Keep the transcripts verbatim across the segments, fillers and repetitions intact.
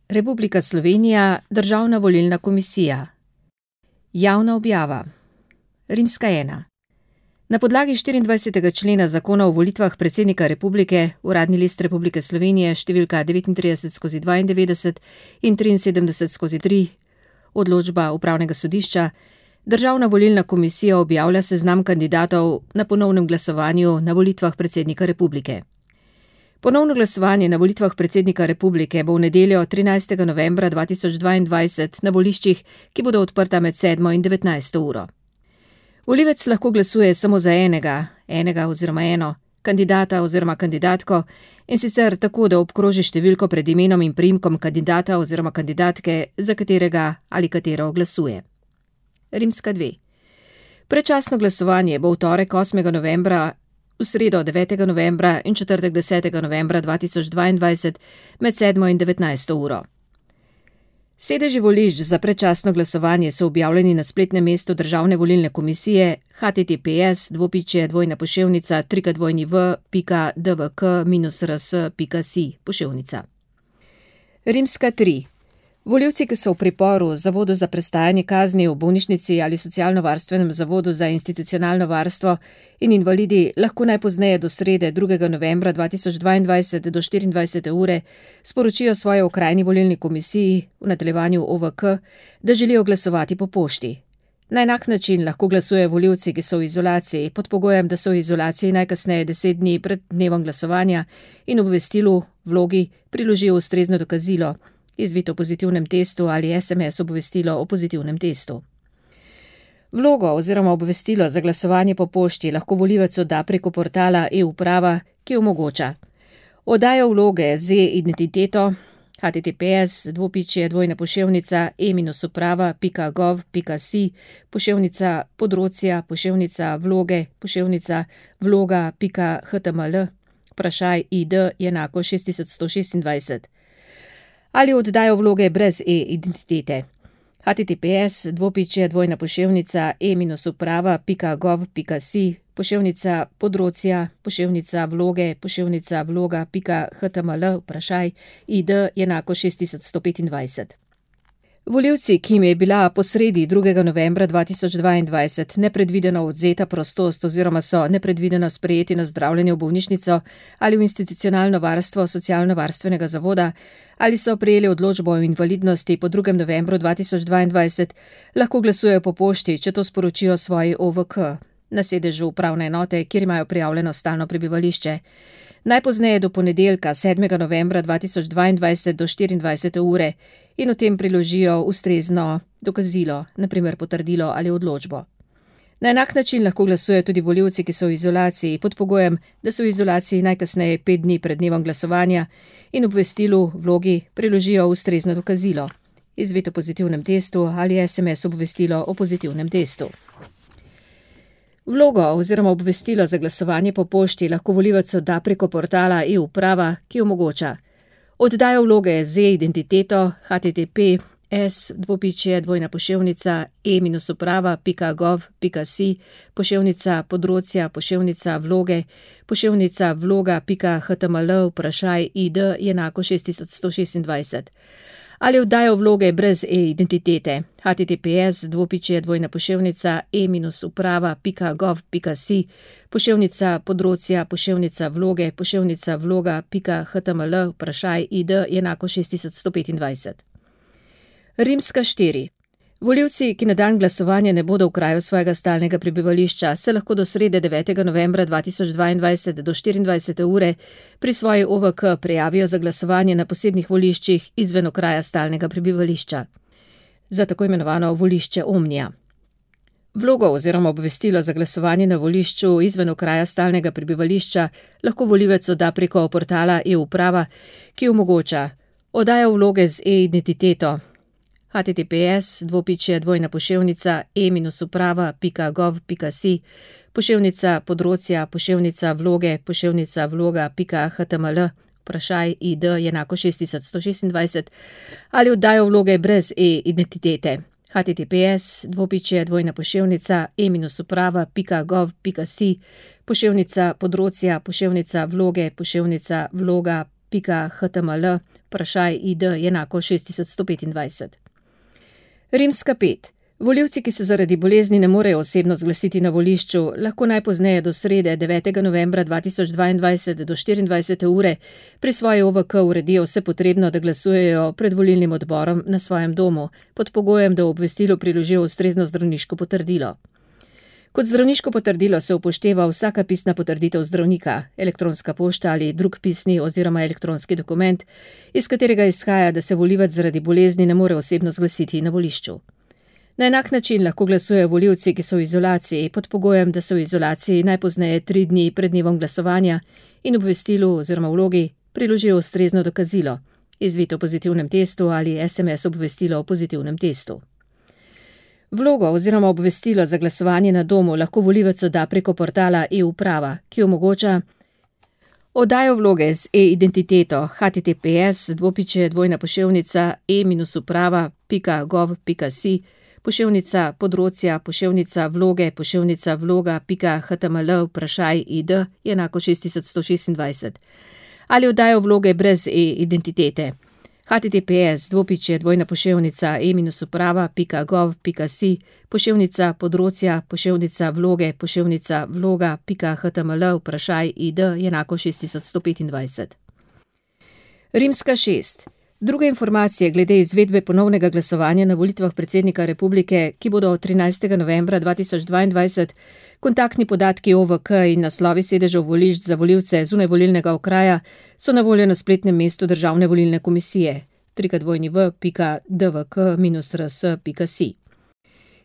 Republika Slovenija, Državna volilna komisija. Javna objava. Rimska ena. Na podlagi štiriindvajsetega člena Zakona o volitvah predsednika republike, Uradni list Republike Slovenije številka devetintrideset skozi dvaindevetdeset in triinsedemdeset skozi tri, odločba Upravnega sodišča, Državna volilna komisija objavlja seznam kandidatov na ponovnem glasovanju na volitvah predsednika republike. Ponovno glasovanje na volitvah predsednika republike bo v nedeljo trinajstega novembra dva tisoč dvaindvajset na voliščih, ki bodo odprta med sedmo in devetnajsto uro. Volivec lahko glasuje samo za enega, enega oziroma eno, kandidata oziroma kandidatko, in sicer tako, da obkroži številko pred imenom in priimkom kandidata oziroma kandidatke, za katerega ali katero glasuje. Rimska dve. Predčasno glasovanje bo v torek osmega novembra, v sredo devetega novembra in četrtek desetega novembra dva tisoč dvaindvajset med sedmo in devetnajsto uro. Sedeži volišč za predčasno glasovanje so objavljeni na spletnem mestu Državne volilne komisije h t t p s dvopičje dvojna poševnica www pika d v k minus r s pika s i poševnica. Rimska tri. Volivci, ki so v priporu, zavodu za prestajanje kazni v bolnišnici ali socialno-varstvenem zavodu za institucionalno varstvo in invalidi lahko najpozneje do srede drugega novembra dva tisoč dvaindvajset do štiriindvajsete ure sporočijo svoji okrajni volilni komisiji, v nadaljevanju O V K, da želijo glasovati po pošti. Na enak način lahko glasujejo volivci, ki so v izolaciji, pod pogojem, da so v izolaciji najkasneje deset dni pred dnevom glasovanja in obvestilu, vlogi, priložijo ustrezno dokazilo, izvito o pozitivnem testu ali S M S obvestilo o pozitivnem testu. Vlogo oziroma obvestilo za glasovanje po pošti lahko volivec odda preko portala e-uprava, ki omogoča oddajo vloge z e-identiteto h t t p s dvopičje dvojna poševnica e minus uprava pika gov pika s i poševnica področja poševnica vloge poševnica vloga pika h t m l vprašaj I D je enako šest tisoč sto šestindvajset. Ali oddajo vloge brez e-identitete. h t t p s dvopičje dvojna poševnica e minus uprava pika gov pika s i poševnica področja poševnica vloge poševnica vloga pika h t m l vprašaj I D je enako šest tisoč sto petindvajset. Volivci, ki jim je bila po sredi drugega novembra dva tisoč dvaindvajset nepredvideno odvzeta prostost oziroma so nepredvideno sprejeti na zdravljenje v bolnišnico ali v institucionalno varstvo socialno-varstvenega zavoda ali so prejeli odločbo o invalidnosti po drugem novembru dva tisoč dvaindvajset, lahko glasujejo po pošti, če to sporočijo svoji O V K, na sedežu upravne enote, kjer imajo prijavljeno stalno prebivališče. Najpozneje do ponedeljka sedmega novembra dva tisoč dvaindvajset do štiriindvajsete ure in v tem priložijo ustrezno dokazilo, na primer potrdilo ali odločbo. Na enak način lahko glasujejo tudi volivci, ki so v izolaciji, pod pogojem, da so v izolaciji najkasneje pet dni pred dnevom glasovanja in obvestilu, vlogi, priložijo ustrezno dokazilo, izvito o pozitivnem testu ali S M S obvestilo o pozitivnem testu. Vlogo oziroma obvestilo za glasovanje po pošti lahko volivec odda preko portala e-uprava, ki omogoča oddajo vloge z e-identiteto h t t p s dvopičje dvojna poševnica e minus uprava pika gov pika s i poševnica področja poševnica vloge poševnica vloga pika h t m l vprašaj I D je enako šest tisoč sto šestindvajset. Ali oddajo vloge brez e-identitete h t t p s dvopičje dvojna poševnica e minus uprava pika gov pika s i poševnica področja poševnica vloge poševnica vloga pika h t m l vprašaj I D je enako šest tisoč sto petindvajset. Rimska štiri. Volivci, ki na dan glasovanja ne bodo v kraju svojega stalnega prebivališča, se lahko do srede devetega novembra dva tisoč dvaindvajset do štiriindvajsete ure pri svoji O V K prijavijo za glasovanje na posebnih voliščih izven okraja stalnega prebivališča, za tako imenovano volišče Omnija. Vlogo oziroma obvestilo za glasovanje na volišču izven okraja stalnega prebivališča lahko volivec odda preko portala e-uprava, ki omogoča oddajo vloge z e-identiteto h t t p s dvopičje dvojna poševnica e minus uprava pika gov pika s i poševnica področja poševnica vloge poševnica vloga pika h t m l vprašaj I D je enako šest tisoč sto šestindvajset ali oddajo vloge brez e-identitete h t t p s dvopičje dvojna poševnica e minus uprava pika gov pika s i poševnica področja poševnica vloge poševnica vloga pika h t m l vprašaj id je enako šest tisoč sto petindvajset. Rimska pet. Volivci, ki se zaradi bolezni ne morejo osebno zglasiti na volišču, lahko najpozneje do srede devetega novembra dva tisoč dvaindvajset do štiriindvajsete ure pri svoji O V K uredijo vse potrebno, da glasujejo pred volilnim odborom na svojem domu, pod pogojem, da v obvestilu priložijo ustrezno zdravniško potrdilo. Kot zdravniško potrdilo se upošteva vsaka pisna potrditev zdravnika, elektronska pošta ali drug pisni oziroma elektronski dokument, iz katerega izhaja, da se volivec zaradi bolezni ne more osebno zglasiti na volišču. Na enak način lahko glasujejo volivci, ki so v izolaciji, pod pogojem, da so v izolaciji najpozneje tri dni pred dnevom glasovanja in obvestilu oziroma vlogi priložijo ustrezno dokazilo, izvid o pozitivnem testu ali S M S obvestilo o pozitivnem testu. Vlogo oziroma obvestilo za glasovanje na domu lahko volivec odda preko portala e-uprava, ki omogoča oddajo vloge z e-identiteto h t t p s dvopičje dvojna poševnica e uprava pika gov pika si poševnica področja poševnica vloge poševnica vloga pika h t m l vprašaj id je enako šest tisoč sto šestindvajset ali oddajo vloge brez e-identitete h t t p s dvopičje dvojna poševnica e uprava pika gov pika si poševnica področja poševnica vloge poševnica vloga pika h t m l vprašaj id je enako šest tisoč sto petindvajset. Rimska šest. Druge informacije glede izvedbe ponovnega glasovanja na volitvah predsednika republike, ki bodo trinajstega novembra dva tisoč dvaindvajset, kontaktni podatki O V K in naslovi sedežev volišč za volivce zunaj volilnega okraja so na voljo na spletnem mestu Državne volilne komisije w w w pika d v k r s pika si.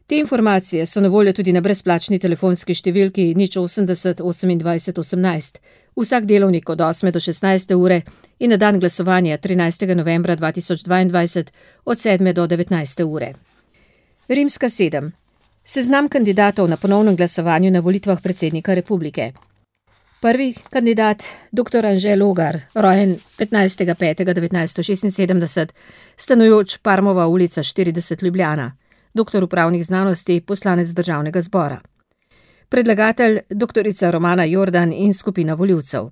Te informacije so na voljo tudi na brezplačni telefonski številki nič osemdeset osemindvajset osemnajst, vsak delovnik od osme do šestnajste ure in na dan glasovanja trinajstega novembra dva tisoč dvaindvajset od sedme do devetnajste ure. Rimska sedem. Seznam kandidatov na ponovnem glasovanju na volitvah predsednika republike. Prvi kandidat, dr. Anže Logar, rojen petnajstega petega devetnajststo šestinsedemdeset, stanujoč Parmova ulica štirideset Ljubljana, doktor upravnih znanosti, poslanec Državnega zbora. Predlagatelj dr. Romana Jordan in skupina volivcev.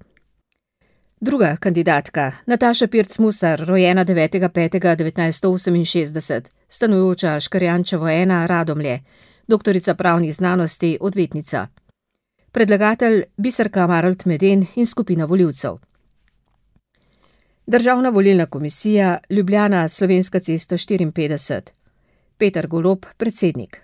Druga kandidatka, Nataša Pirc Musar, rojena devetega petega devetnajststo oseminšestdeset, stanujoča Škarjančevo ena, Radomlje, doktorica pravnih znanosti, odvetnica. Predlagatelj Biserka Marolt Meden in skupina volivcev. Državna volilna komisija, Ljubljana, Slovenska cesta štiriinpetdeset. Peter Golob, predsednik.